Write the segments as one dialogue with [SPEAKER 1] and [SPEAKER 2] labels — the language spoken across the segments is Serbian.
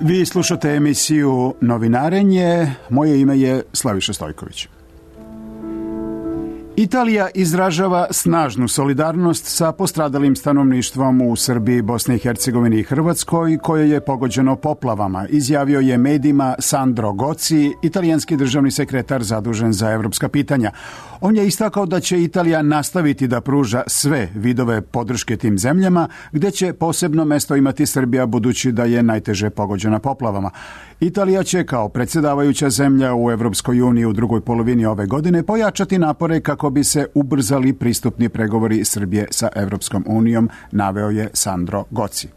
[SPEAKER 1] Vi slušate emisiju Novinarenje. Moje ime je Slaviša Stojković. Italija izražava snažnu solidarnost sa postradalim stanovništvom u Srbiji, Bosni i Hercegovini i Hrvatskoj, koje je pogođeno poplavama, izjavio je medijima Sandro Gozi, italijanski državni sekretar zadužen za evropska pitanja. On je istakao da će Italija nastaviti da pruža sve vidove podrške tim zemljama, gdje će posebno mesto imati Srbija budući da je najteže pogođena poplavama. Italija će kao predsjedavajuća zemlja u Evropskoj uniji u drugoj polovini ove godine pojačati napore kako bi se ubrzali pristupni pregovori Srbije sa Evropskom unijom, naveo je Sandro Gozi.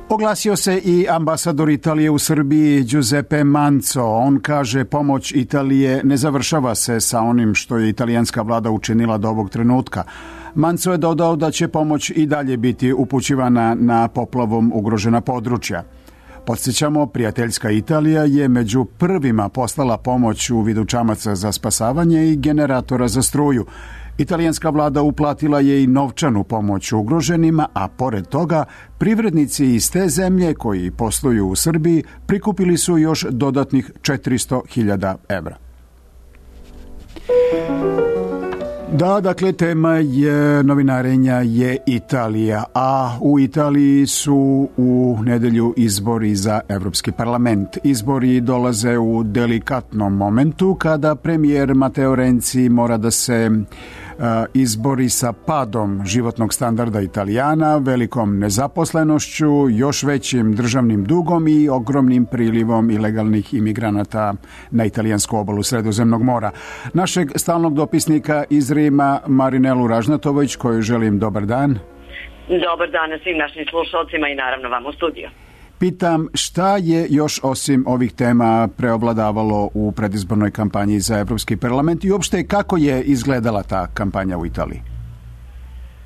[SPEAKER 1] Oglasio se i ambasador Italije u Srbiji Giuseppe Manzo. On kaže pomoć Italije ne završava se sa onim što je italijanska vlada učinila do ovog trenutka. Manzo je dodao da će pomoć i dalje biti upućivana na poplavom ugrožena područja. Podsjećamo, prijateljska Italija je među prvima poslala pomoć u vidu čamaca za spasavanje i generatora za struju. Italijanska vlada uplatila je i novčanu pomoć ugroženima, a pored toga privrednici iz te zemlje koji posluju u Srbiji prikupili su još dodatnih 400.000 evra. Da, dakle, tema je novinarenja je Italija, a u Italiji su u nedelju izbori za Evropski parlament. Izbori dolaze u delikatnom momentu kada premijer Matteo Renzi mora da se izbori sa padom životnog standarda Italijana, velikom nezaposlenošću, još većim državnim dugom i ogromnim prilivom ilegalnih imigranata na italijansku obalu Sredozemnog mora. Našeg stalnog dopisnika iz Rima, Marinelu Ražnatović, koju želim dobar dan.
[SPEAKER 2] Dobar dan svim našim slušalcima i naravno vam u studiju.
[SPEAKER 1] Pitam, šta je još osim ovih tema preovladavalo u predizbornoj kampanji za Evropski parlament i uopšte kako je izgledala ta kampanja u Italiji?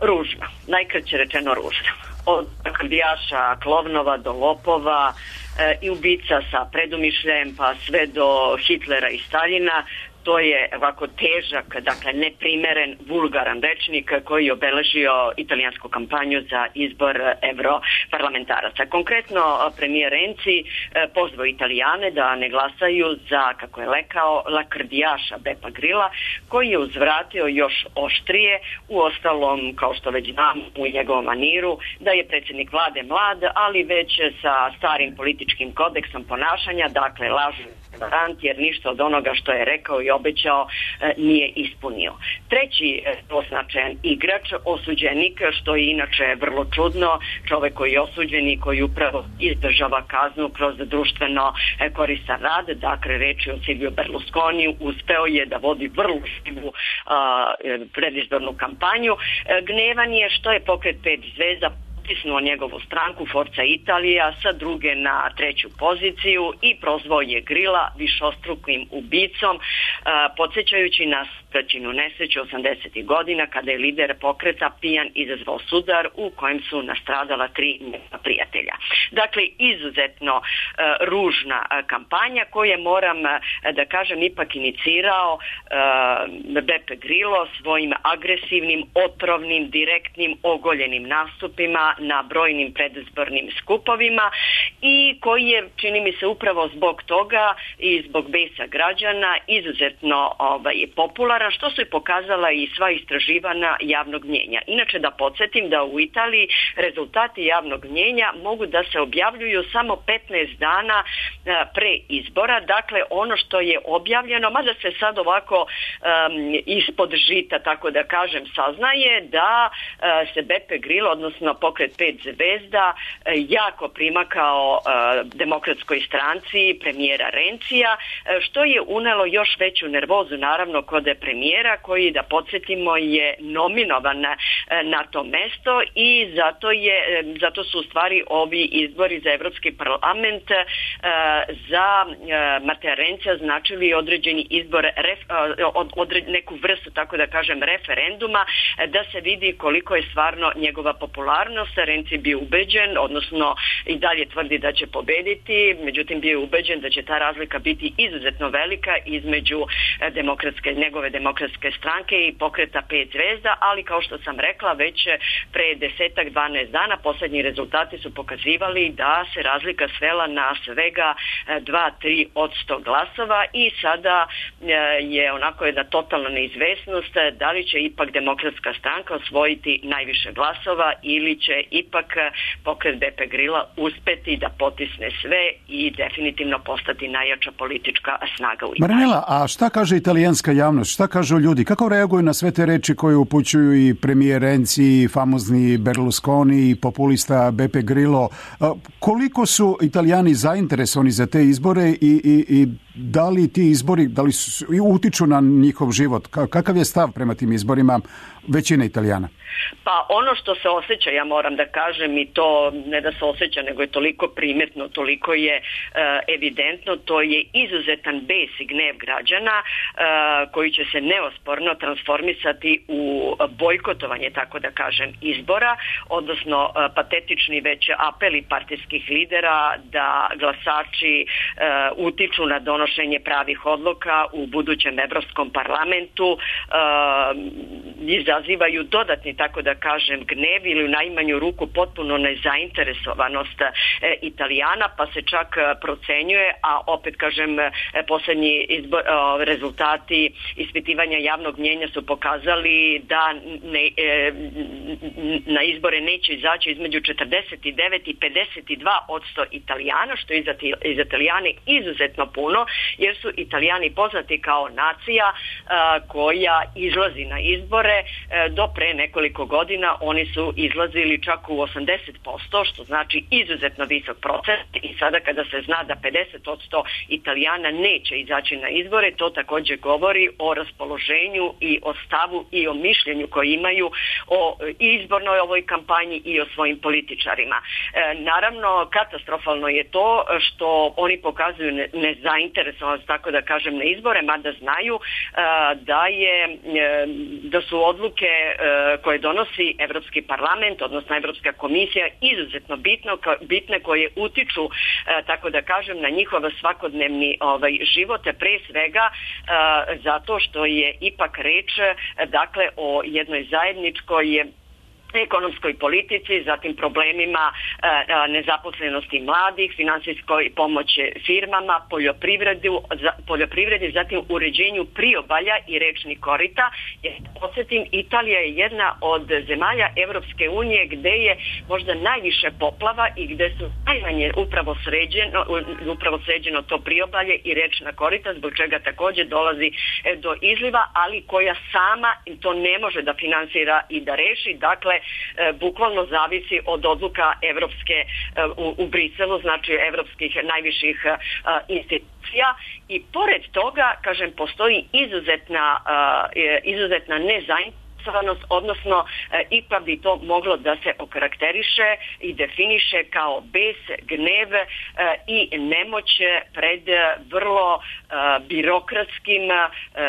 [SPEAKER 2] Ružno, najkraće rečeno ružno. Od kandidaša klovnova do lopova i ubica sa predumišljajem pa sve do Hitlera i Staljina. To je ovako težak, dakle neprimeren, vulgaran rečnik koji je obeležio italijansku kampanju za izbor europarlamentaraca. Konkretno, premijer Renzi pozvao Italijane da ne glasaju za, kako je rekao, lakrdijaša Bepa Grilla, koji je uzvratio još oštrije, uostalom, kao što već znam u njegovom maniru, da je predsjednik vlade mlad, ali već sa starim političkim kodeksom ponašanja, dakle lažni varant, jer ništa od onoga što je rekao i obećao nije ispunio. Treći označen igrač, osuđenik, što je inače vrlo čudno, čovjek koji je osuđen i koji upravo izdržava kaznu kroz društveno koristan rad, dakle reč je o Silvio Berlusconiju, uspeo je da vodi vrlo živu predizbornu kampanju. Gnevan je što je pokret 5 zvezda pritisnuo njegovu stranku Forza Italija sa druge na treću poziciju i prozvao je Grilla višostrukim ubicom, podsjećajući nas praćinu nesreću 80. godina kada je lider pokreta pijan izazvao sudar u kojem su nastradala 3 njegova prijatelja. Dakle, izuzetno ružna kampanja koju moram da kažem ipak inicirao Beppe Grillo svojim agresivnim, otrovnim, direktnim, ogoljenim nastupima na brojnim predizbornim skupovima i koji je, čini mi se, upravo zbog toga i zbog besa građana izuzetno popularan, što su i pokazala i sva istraživanja javnog mnjenja. Inače, da podsjetim da u Italiji rezultati javnog mnjenja mogu da se objavljuju samo 15 dana pre izbora, dakle ono što je objavljeno, mada se sad ovako ispod žita, tako da kažem, saznaje da se Beppe Grillo, odnosno pokret 5 zvezda, jako primakao demokratskoj stranci premijera Renzija, što je unelo još veću nervozu naravno kod premijera koji, da podsjetimo, je nominovan na to mesto i zato su u stvari ovi izbori za Evropski parlament za Matteo Renzija značili određeni izbor, neku vrstu, tako da kažem, referenduma, da se vidi koliko je stvarno njegova popularnost Renzi bio ubeđen, odnosno i dalje tvrdi da će pobediti, međutim bio je ubeđen da će ta razlika biti izuzetno velika između njegove demokratske stranke i pokreta 5 zvezda, ali kao što sam rekla, već pre 10-12 dana posljednji rezultati su pokazivali da se razlika svela na svega 2-3% glasova i sada je onako jedna totalna neizvesnost da li će ipak demokratska stranka osvojiti najviše glasova ili će ipak pokret Beppe Grilla uspeti da potisne sve i definitivno postati najjača politička snaga u Italiji.
[SPEAKER 1] Marinela, a šta kaže italijanska javnost? Šta kažu ljudi? Kako reaguju na sve te reči koje upućuju i premijer Renzi, i famozni Berlusconi, i populista Beppe Grillo? Koliko su Italijani zainteresovani za te izbore i da li ti izbori utiču na njihov život? Kakav je stav prema tim izborima većine Italijana?
[SPEAKER 2] Pa ono što se osjeća, ja moram da kažem, i to ne da se osjeća, nego je toliko primetno, toliko je evidentno, to je izuzetan bes i gnev građana koji će se neosporno transformisati u bojkotovanje, tako da kažem, izbora, odnosno patetični već apeli partijskih lidera da glasači utiču na donošenje pravih odluka u budućem Evropskom parlamentu, izazivaju dodatni, tako da kažem, gnev ili u najmanju ruku potpuno nezainteresovanost Italijana, pa se čak procenjuje, a opet kažem, posljednji rezultati ispitivanja javnog mnjenja su pokazali da na izbore neće izaći između 49 i 52% Italijana, što je za Italijane izuzetno puno, jer su Italijani poznati kao nacija koja izlazi na izbore. Do pre nekoliko godina oni su izlazili čak u 80%, što znači izuzetno visok procent, i sada kada se zna da 50% Italijana neće izaći na izbore, to također govori o raspoloženju i o stavu i o mišljenju koje imaju o izbornoj ovoj kampanji i o svojim političarima. Naravno, katastrofalno je to što oni pokazuju nezainteresovanost, tako da kažem, na izbore, mada znaju da su odluke koje donosi Evropski parlament, odnosno Evropska komisija, izuzetno bitne, koje utiču, tako da kažem, na njihov svakodnevni život, pre svega zato što je ipak reč, dakle, o jednoj zajedničkoj ekonomskoj politici, zatim problemima nezaposlenosti mladih, finansijskoj pomoći firmama, poljoprivredi, zatim uređenju priobalja i rečnih korita. Podsjetim, Italija je jedna od zemalja Evropske unije gde je možda najviše poplava i gde su najmanje upravo sređeno to priobalje i rečna korita, zbog čega također dolazi do izliva, ali koja sama to ne može da finansira i da reši. Dakle, bukvalno zavisi od odluka evropske u Briselu, znači evropskih najviših institucija, i pored toga, kažem, postoji izuzetna nezainteresovanost, odnosno ipak bi to moglo da se okarakteriše i definiše kao bes, gnev i nemoć pred vrlo birokratskim,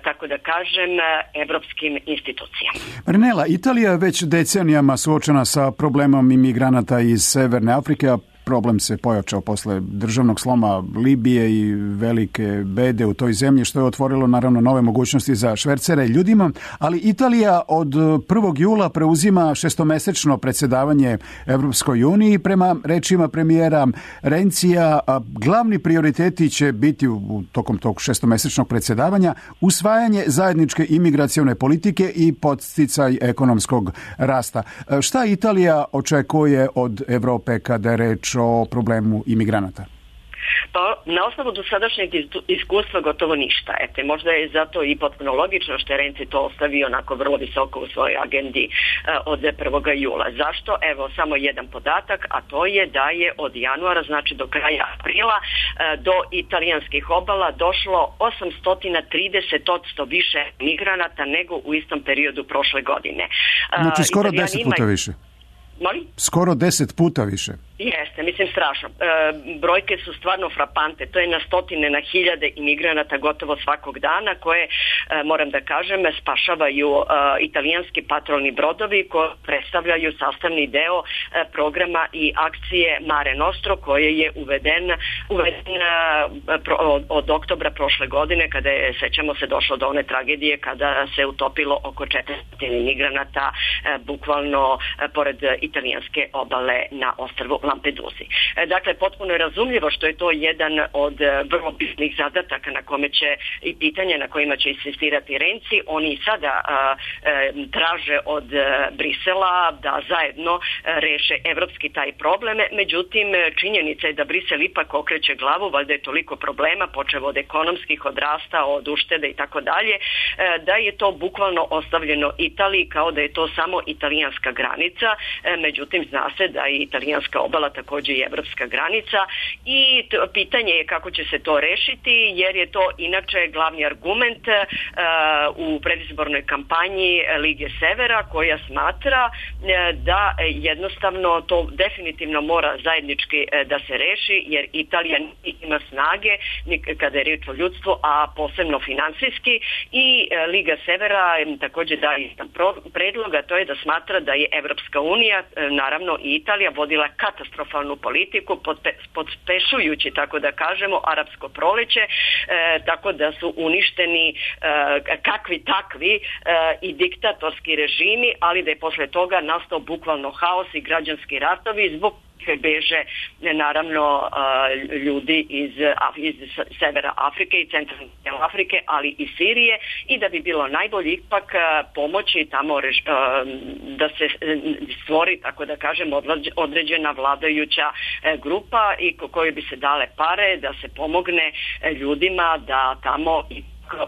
[SPEAKER 2] tako da kažem, evropskim institucijama.
[SPEAKER 1] Marinela, Italija je već decenijama suočena sa problemom imigranata iz Severne Afrike, a problem se pojačao posle državnog sloma Libije i velike bede u toj zemlji, što je otvorilo naravno nove mogućnosti za švercere ljudima, ali Italija od 1. jula preuzima šestomesečno predsjedavanje Evropskoj uniji. Prema rečima premijera Renzija, glavni prioriteti će biti tokom tog šestomesečnog predsjedavanja usvajanje zajedničke imigracione politike i podsticaj ekonomskog rasta. Šta Italija očekuje od Europe kada je reč o problemu imigranata?
[SPEAKER 2] Pa na osnovu dosadašnjeg iskustva gotovo ništa. Možda je zato i potpuno logično što je Renzi to ostavio onako vrlo visoko u svojoj agendi od 1. jula. Zašto? Evo samo jedan podatak, a to je da je od januara, znači do kraja aprila, do italijanskih obala došlo 830% više migranata nego u istom periodu prošle godine.
[SPEAKER 1] Znači skoro 10 puta više.
[SPEAKER 2] Molim?
[SPEAKER 1] Skoro 10 puta više.
[SPEAKER 2] Jeste, mislim strašno. Brojke su stvarno frapante. To je na stotine, na hiljade imigranata gotovo svakog dana koje, moram da kažem, spašavaju italijanski patrolni brodovi koji predstavljaju sastavni deo programa i akcije Mare Nostro koje je uveden od oktobra prošle godine kada je, sećamo se, došlo do one tragedije kada se utopilo oko 400 imigranata bukvalno pored italijanske obale na ostrvu Lampedusi. Dakle, potpuno je razumljivo što je to jedan od vrlo bitnih zadataka na kome će i pitanja na kojima će insistirati Renzi. Oni sada traže od Brisela da zajedno reše evropski taj problem. Međutim, činjenica je da Brisel ipak okreće glavu, valjda je toliko problema, počev od ekonomskih, od rasta, od uštede i tako dalje, da je to bukvalno ostavljeno Italiji kao da je to samo italijanska granica. Međutim, zna se da je italijanska obala također i evropska granica i pitanje je kako će se to rešiti, jer je to inače glavni argument u predizbornoj kampanji Lige Severa, koja smatra da jednostavno to definitivno mora zajednički da se reši, jer Italija ima snage kada je riječ o ljudstvu, a posebno finansijski, i Liga Severa također daje predloga, to je da smatra da je Evropska unija, naravno i Italija, vodila katastrofalnu politiku pospešujući, tako da kažemo, arapsko proleće, tako da su uništeni kakvi takvi i diktatorski režimi, ali da je posle toga nastao bukvalno haos i građanski ratovi zbog beže naravno ljudi iz severa Afrike i centralne Afrike, ali i Sirije, i da bi bilo najbolje ipak pomoći tamo da se stvori, tako da kažem, određena vladajuća grupa i kojoj bi se dale pare da se pomogne ljudima da tamo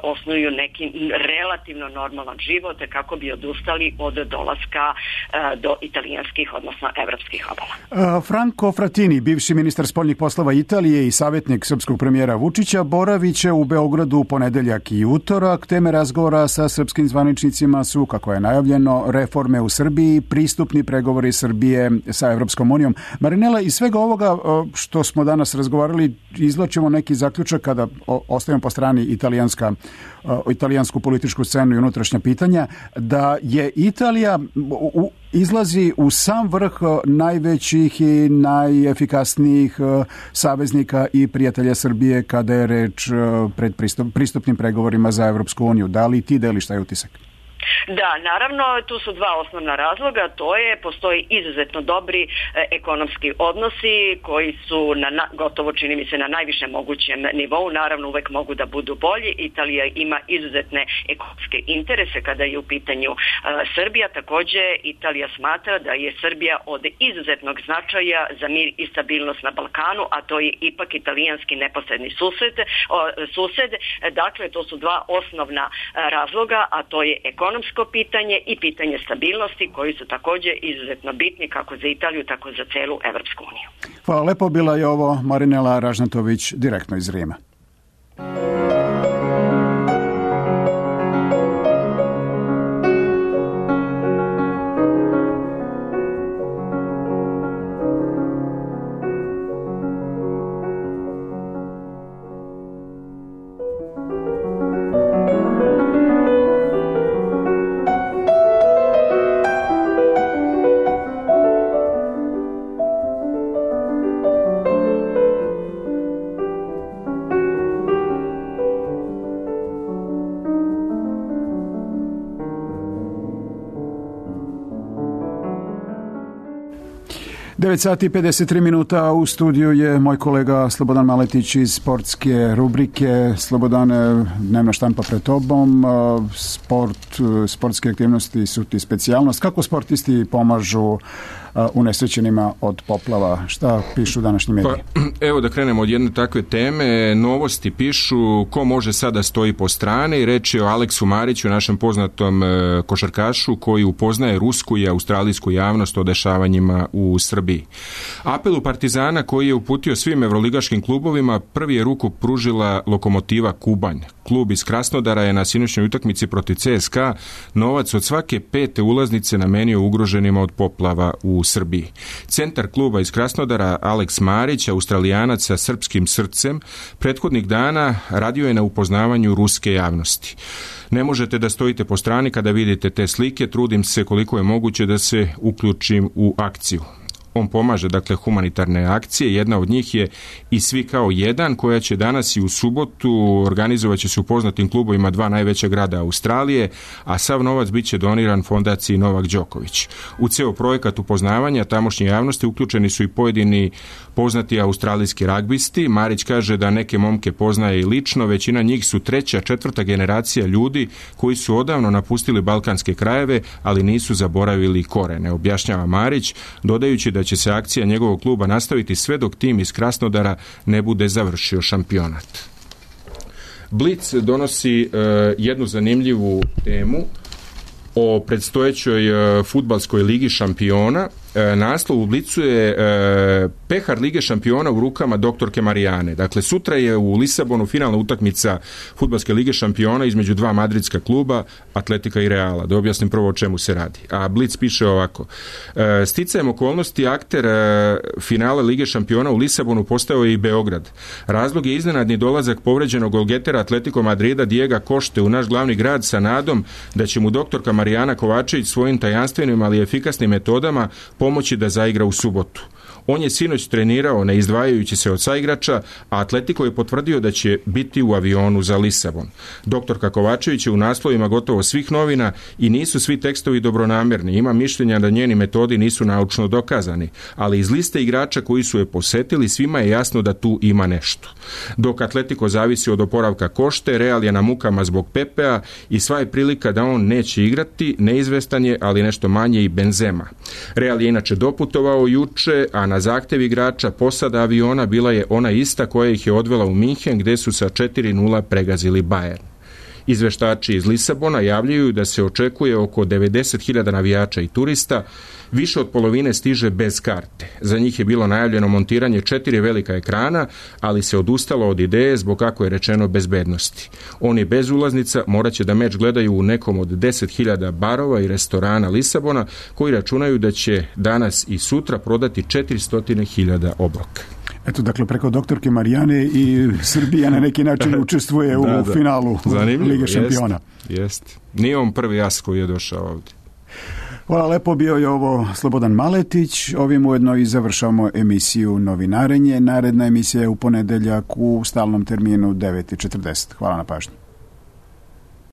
[SPEAKER 2] osnuju neki relativno normalan život kako bi odustali od dolaska do italijanskih, odnosno evropskih obala.
[SPEAKER 1] Franco Frattini, bivši ministar spoljnih poslova Italije i savjetnik srpskog premijera Vučića, boravit će u Beogradu u ponedeljak i utorak. Teme razgovora sa srpskim zvaničnicima su, kako je najavljeno, reforme u Srbiji, pristupni pregovori Srbije sa Evropskom unijom. Marinela, iz svega ovoga što smo danas razgovarali, izvlačimo neki zaključak kada ostavimo po strani italijansku političku scenu i unutrašnja pitanja, da je Italija izlazi u sam vrh najvećih i najefikasnijih saveznika i prijatelja Srbije kada je reč pred pristupnim pregovorima za Evropsku uniju. Da li ti deliš taj utisak?
[SPEAKER 2] Da, naravno, tu su dva osnovna razloga, to je, postoji izuzetno dobri ekonomski odnosi koji su gotovo, čini mi se, na najvišem mogućem nivou, naravno uvek mogu da budu bolji. Italija ima izuzetne ekonomske interese kada je u pitanju Srbija, također Italija smatra da je Srbija od izuzetnog značaja za mir i stabilnost na Balkanu, a to je ipak italijanski neposredni sused, dakle to su dva osnovna razloga, a to je ekonomsko pitanje i pitanje stabilnosti koji su također izuzetno bitni kako za Italiju, tako za celu Evropsku uniju.
[SPEAKER 1] Hvala lepo, bila je ovo Marinela Ražnatović direktno iz Rima. Sati 53 minuta, u studiju je moj kolega Slobodan Maletić iz sportske rubrike. Slobodane, dnevna štampa pred tobom, sportske aktivnosti su ti specijalnost. Kako sportisti pomažu unesrećenima od poplava? Šta pišu današnji mediji?
[SPEAKER 3] Pa, evo da krenemo od jedne takve teme. Novosti pišu ko može sada stoji po strane i reč je o Aleksu Mariću, našem poznatom košarkašu koji upoznaje rusku i australijsku javnost o dešavanjima u Srbiji. Apelu Partizana koji je uputio svim evroligaškim klubovima prvi je ruku pružila Lokomotiva Kubanj. Klub iz Krasnodara je na sinoćnoj utakmici protiv CSKA novac od svake 5. ulaznice namenio ugroženima od poplava u u Srbiji. Centar kluba iz Krasnodara Aleks Marić, Australijanac sa srpskim srcem, prethodnih dana radio je na upoznavanju ruske javnosti. Ne možete da stojite po strani kada vidite te slike, trudim se koliko je moguće da se uključim u akciju. On pomaže, dakle, humanitarne akcije. Jedna od njih je I svi kao jedan, koja će danas i u subotu organizovat će se u poznatim klubovima 2 najveća grada Australije, a sav novac bit će doniran fondaciji Novak Đoković. U ceo projekat upoznavanja tamošnje javnosti uključeni su i pojedini poznati australijski ragbisti. Marić kaže da neke momke poznaje i lično, većina njih su 3., 4. generacija ljudi koji su odavno napustili balkanske krajeve, ali nisu zaboravili korene, objašnjava Marić, dodajući da će se akcija njegovog kluba nastaviti sve dok tim iz Krasnodara ne bude završio šampionat. Blic donosi jednu zanimljivu temu o predstojećoj fudbalskoj ligi šampiona. Naslov u Blicu je pehar Lige šampiona u rukama doktorke Marijane. Dakle, sutra je u Lisabonu finalna utakmica fudbalske Lige šampiona između 2 madridska kluba, Atletika i Reala. Da objasnim prvo o čemu se radi. A Blic piše ovako. Sticajem okolnosti akter finala Lige šampiona u Lisabonu postao je i Beograd. Razlog je iznenadni dolazak povređenog golgetera Atletico Madrida Diega Košte u naš glavni grad sa nadom da će mu doktorka Marijana Kovačević svojim tajanstvenim, ali efikasnim metodama pomoći da zaigra u subotu. On je sinoć trenirao ne izdvajajući se od saigrača, a Atletico je potvrdio da će biti u avionu za Lisabon. Doktorka Kovačević je u naslovima gotovo svih novina i nisu svi tekstovi dobronamjerni. Ima mišljenja da njeni metodi nisu naučno dokazani, ali iz liste igrača koji su je posetili svima je jasno da tu ima nešto. Dok Atletico zavisi od oporavka Košte, Real je na mukama zbog Pepea i sva je prilika da on neće igrati, neizvestan je, ali nešto manje i Benzema. Real je inače doputovao juče, a na zahtev igrača posada aviona bila je ona ista koja ih je odvela u Minhen, gde su sa 4:0 pregazili Bayern. Izveštači iz Lisabona javljaju da se očekuje oko 90.000 navijača i turista, više od polovine stiže bez karte. Za njih je bilo najavljeno montiranje 4 velika ekrana, ali se odustalo od ideje zbog, kako je rečeno, bezbednosti. Oni bez ulaznica morat će da meč gledaju u nekom od 10.000 barova i restorana Lisabona, koji računaju da će danas i sutra prodati 400.000 obroka.
[SPEAKER 1] Eto, dakle, preko doktorke Marijane i Srbija na neki način učestvuje u finalu Lige šampiona.
[SPEAKER 3] Jest. Nije on prvi as koji je došao ovdje.
[SPEAKER 1] Hvala lepo, bio je ovo Slobodan Maletić. Ovim ujedno i završavamo emisiju Novinarenje. Naredna emisija je u ponedeljak u stalnom terminu 9:40. Hvala na pažnji.